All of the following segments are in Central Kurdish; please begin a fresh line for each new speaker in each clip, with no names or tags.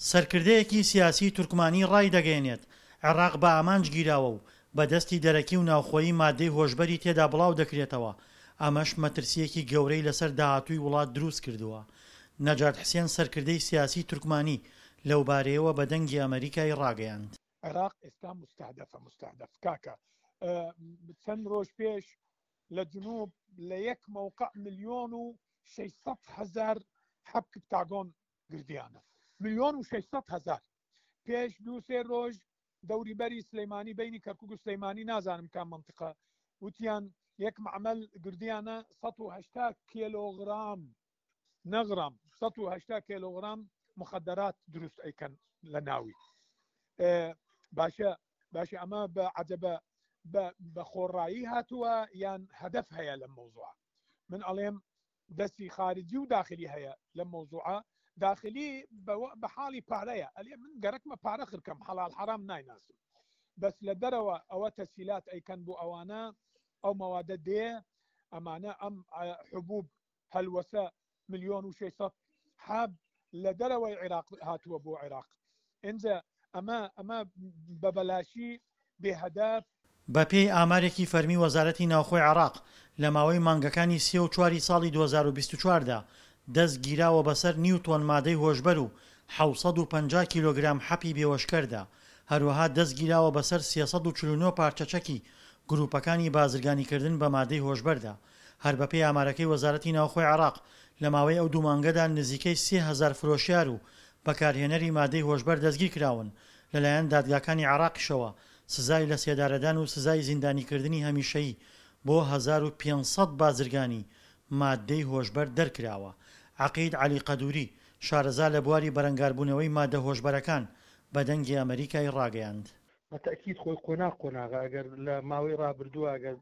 سەرکردەیەکی سیاسیی تورکمانی ڕایدەگەیەنێت، عێراق بە ئامانج گیراوە و بە دەستی دەرەکی و ناوخۆیی ماددەی هۆشبەری تێدا بڵاودەکرێتەوە، ئەمەش مەترسییەکی گەورەی لەسەر داهاتووی وڵات دروستکردووە. نەجات حسێن سەرکردەی سیاسیی تورکمانی لەوبارەیەوە بە دەنگی ئەمەریکای ڕاگەیاند.
عێراق ئێستا مستهدفە مستهدف کاکە چەند ڕۆژ پێش لە جنوب لە یەک مەوقع ملیۆن و 600 هزار حەب کپتاگۆن گردیانە ملیۆن و 600 هزار پێش دوو سێ ڕۆژ دەوری بەری سلەیمانی بینی کەرکک و سلەیمانی نازانم کام منطقە وتیان یەک معمل گردیانە 180 کیلۆغرام نەغرام 180 کیلۆغرام مخدرات دروست ئەیکەن لە ناوی باشە باشە ئەمە بە عجبە بە خۆڕایی هاتووە یان هەدەف هەیە لەم مەوزوعە من ئەڵێم دەستی خارجی و داخلی هەیە لەم مەوزوعە داخلی بە حاڵی پارەیە ئەلێ من گەرەکمە پارە خرکەم حەڵال حرام نایناسم بەس لە دەرەوە ئەوە تەسیلات ئەیکەن بۆ ئەوانە ئەو مەوادە دێ ئەمانە ئەم حبوب هەلوەسە ملیۆن و 600 حەب لە دەرەوەی عێراق هاتووە بۆ عێراق ئینجا ئەمە ئەمە بە بەلاشی بێ هەدەف.
بەپێی ئامارێکی فەرمی وەزارەتی ناوخۆی عێراق، لە ماوەی مانگەکانی سێ و چواری ساڵی 2024 دا دەست گیراوە بەسەر نیو تۆن مادەی هۆشبەر و 750 کیلۆگرام حەپی بێوەشکەردا، هەروەها دەست گیراوە بەسەر 349 پارچە چەکی گروپەکانی بازرگانیکردن بە مادەی هۆشبەردا. هەر بەپێی ئامارەکەی وەزارەتی ناوخۆی عێراق، لە ماوەی ئەو دوو مانگەدا نزیکەی 3000 فرۆشیار و بەکارهێنەری مادەی هۆشبەر دەستگیرکراون، لەلایەن دادگاکانی عێراقیشەوە سزای لەسێدارەدان و سزای زیندانیکردنی هەمیشەیی بۆ 1500 بازرگانی ماددەی هۆشبەر دەرکراوە. عەقید عەلی قەدوری، شارەزا لە بواری بەرەنگاربوونەوەی مادە هۆشبەرەکان، بە دەنگی ئەمەریکای ڕاگەیاند.
بە تەئکید خۆی قۆناغ قۆناغە، ئەگەر لە ماوەی ڕابردووە ئەگەر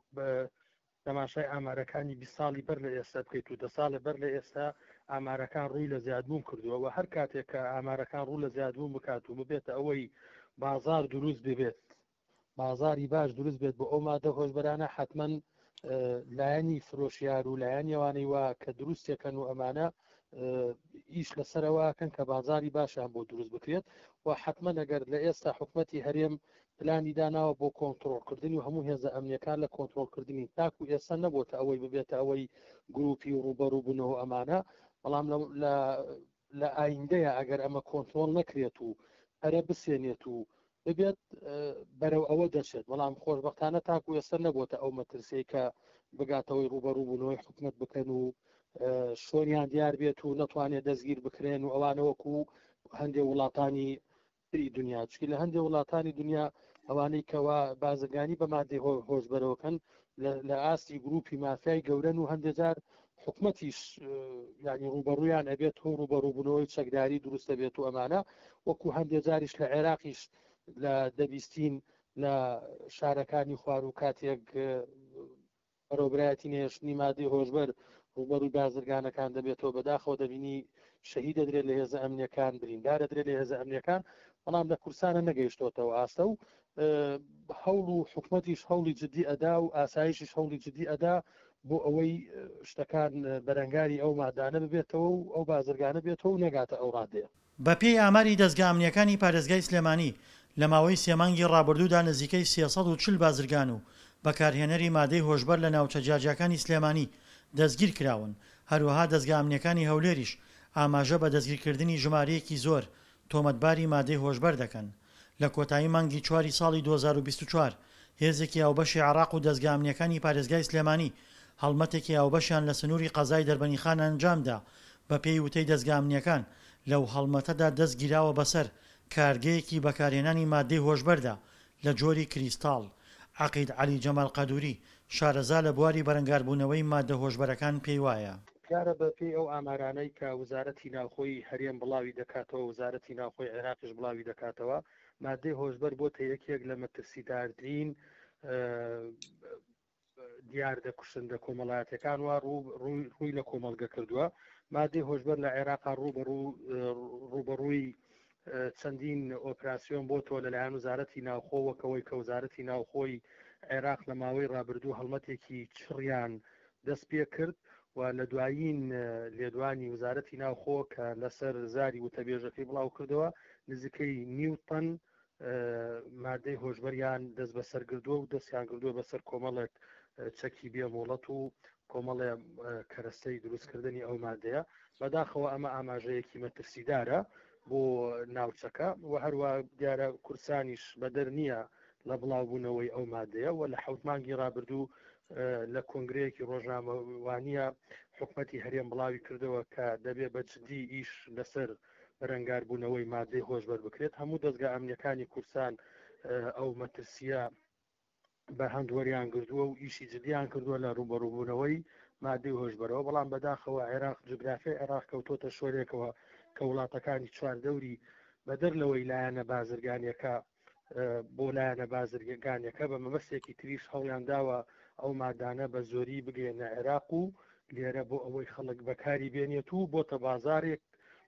تەماشای ئامارەکانی 20 ساڵی بەر لە ئێستا بکەیت و دە ساڵێ بەر لە ئێستا ئامارەکان ڕووی لە زیادبوون کردووە و هەر کاتێک کە ئامارەکان ڕوو لە زیادبوون بکات و ببێتە ئەوەی بازار دروست ببێت بازاری باش دروست بێت بۆ ئەو مادە هۆشبەرانە حتمما لایەنی فرۆشیار و لایەنی ئەوانەی وا کە دروستێکەن و ئەمانە ئیش لەسەرەوەکەن کە بازاری باشیان بۆ دروست بکرێت و حتمما ئەگەر لە ئێستا حکومەتی هەرێم پلانی داناوە بۆ کۆنتڕۆڵکردنی و هەموو هێزە ئەمنیەکان لە کۆنتڕۆڵکردنی تاکو ئێستا نەبۆتە ئەوەی ببێتە ئەوەی گروپی و ڕوبەڕوو بوونەوە ئەمانە بەڵام لە ئایندەیە ئەگەر ئەمە کۆنتڕۆڵ نەکرێت و پەرە بسێنێت و ببێت بەرەو ئەوە دەچێت بەڵام خۆشببختانە تاکو ئێستا نەبووتە ئەو مەترسیەی کە بگاتەوەی ڕوبەڕووبوونەوەی حکومت بکەن و شۆنیان دیار بێت و نەتوانێت دەستگیر بکرێن و ئەوانە وەکو هەندێک وڵاتانی تری دنیا چکی لە هەندێک وڵاتانی دنیا ئەوانەی کەوا بازرگانی بە مادەی هۆشبەرەوەکەن لە ئاستی گروپی مافیای گەورەن و هەندێک جار حکومەتیش ینی ڕوبەڕویان ئەبێت و ڕوبەڕوبوونەوەی چەکداری دروستە بێت و ئەمانە وەکو هەندێک جاریش لە عێراقیش لە دەبیستین لە شارەکانی خوار و کاتێک بەڕێوەبەرایەتی نەهێشتنی مادەی هۆشبەر ڕووبەڕووی بازرگانەکان دەبێتەوە، بەداخەوە دەبینی شەهید دەدرێت لە هێزە ئەمنیەکان، بریندار دەدرێت لە هێزە ئەمنیەکان، بەڵام لە کوردستانە نەگەیشتۆتەوە ئاستە و هەوڵ و حکومەتیش هەوڵی جدی ئەدا و ئاسایشیش هەوڵی جدی ئەدا بۆ ئەوەی شتەکان بەرەنگاری ئەو مادانە ببێتەوە و ئەو بازرگانە بێتەوە و نەگاتە ئەو ڕادەیە.
بەپێی ئاماری دەزگا ئەمنییەکانی پارێزگای سلێمانی، لە ماوەی سێ مانگی ڕابردوودا نزیکەی 340 بازرگان و بەکارهێنەری مادەی هۆشبەر لە ناوچە جیاجیاکانی سلێمانی دەستگیرکراون، هەروەها دەزگا ئەمنییەکانی هەولێریش ئاماژە بە دەستگیرکردنی ژمارەیەکی زۆر تۆمەتباری مادەی هۆشبەر دەکەن. لە کۆتایی مانگی چواری ساڵی 2024 هێزێکی هاوبەشی عێراق و دەزگا ئەمنییەکانی پارێزگای سلێمانی هەڵمەتێکی هاوبەشیان لە سنووری قەزای دەربەنیخان ئەنجامدا، بەپێی وتەی دەزگا ئەمنییەکان لەو هەڵمەتەدا دەست گیراوە بەسەر کارگەیەکی بەکارهێنانی ماددەی هۆشبەردا لە جۆری کریستاڵ. عەقید عەلی جەمال قەدوری، شارەزا لە بواری بەرەنگاربوونەوەی ماددە هۆشبەرەکان پێیوایە،
دیارە بە پێی ئەو ئامارانەی کە وزارەتی ناوخۆی هەرێم بڵاوی دەکاتەوە، وزارەتی ناوخۆی عێراقیش بڵاوی دەکاتەوە، ماددەی هۆشبەر بۆتە یەکێک لە مەترسیدارترین دیاردە کوشندە کۆمەڵایەتەکان وا ڕووی لە کۆمەڵگە کردووە مادەی هۆشبەر لە عێراقا ڕووبەڕووی چەندین ئۆپراسیۆن بۆ تۆ لەلایەن وزارەتی ناوخۆ وەکەوەی کە وزارەتی ناوخۆی عێراق لە ماوەی ڕابردوو هەڵمەتێکی چڕیان دەست پێ کرد. و لە دوایین لێدوانی وزارەتی ناوخۆ کە لەسەر زاری وتەبێژەکەی بڵاو کردەوە نزیکەی نیو تەن مادەی هۆشبەریان دەست بەسەر گردووە و دەستیان گردووە بەسەر کۆمەڵێک چەکی بێ مۆڵەت و کۆمەڵێ کەرەستەی دروستکردنی ئەو مادەیە. بەداخەوە ئەمە ئاماژەیەکی مەترسیدارە بۆ ناوچەکە و هەروە دیارە کوردستانیش بەدەر نییە لە بڵاوبوونەوەی ئەو مادەیە و لە حەوت مانگی ڕابردوو لە کۆنگرەیەکی ڕۆژنامەوانیە حکومەتی هەرێم بڵاوی کردەوە کە دەبێ بە جدی ئیش لەسەر بەرەنگاربوونەوەی مادەی هۆشبەر بکرێت. هەموو دەزگا ئەمنیەکانی کوردستان ئەو مەترسیە بە هەند وەریان گردووە و ئیشی جدیان کردووە لە ڕووبەڕووبوونەوەی مادەی هۆشبەرەوە، بەڵام بەداخەوە عێراق جوگرافیای عێراق کەوتۆتە شۆرێکەوە کە وڵاتەکانی چواردەوری بەدەر لەوەی لایەنە بازرگانیەکە بۆ لایەنە بازرگانیەکە بە مەبەستێکی تریش هەوڵیان داوە ئەو مادانە بە زۆری بگەێنە عێراق و لێرە بۆ ئەوەی خەڵک بەکاری بێنێت و بۆتە بازارێک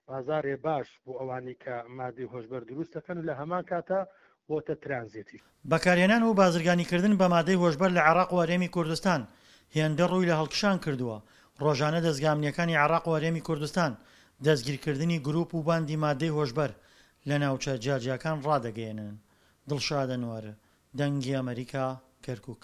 بازاڕێ باش بۆ ئەوانەی کە مادەی هۆشبەر دروست دەکەن و لە هەمان کاتا بۆتە ترانزێتیش.
بەکارهێنان و بازرگانیکردن بە مادەی هۆشبەر لە عێراق و هەرێمی کوردستان هێندە ڕووی لە هەڵکشان کردووە، ڕۆژانە دەزگا ئەمنییەکانی عێراق و هەرێمی کوردستان دەستگیرکردنی گروپ و باندی مادەی هۆشبەر لە ناوچە جیاجیاکان ڕادەگەیەنن. دڵشاد ئەنوەر، دەنگی ئەمەریکا، کەرکوک.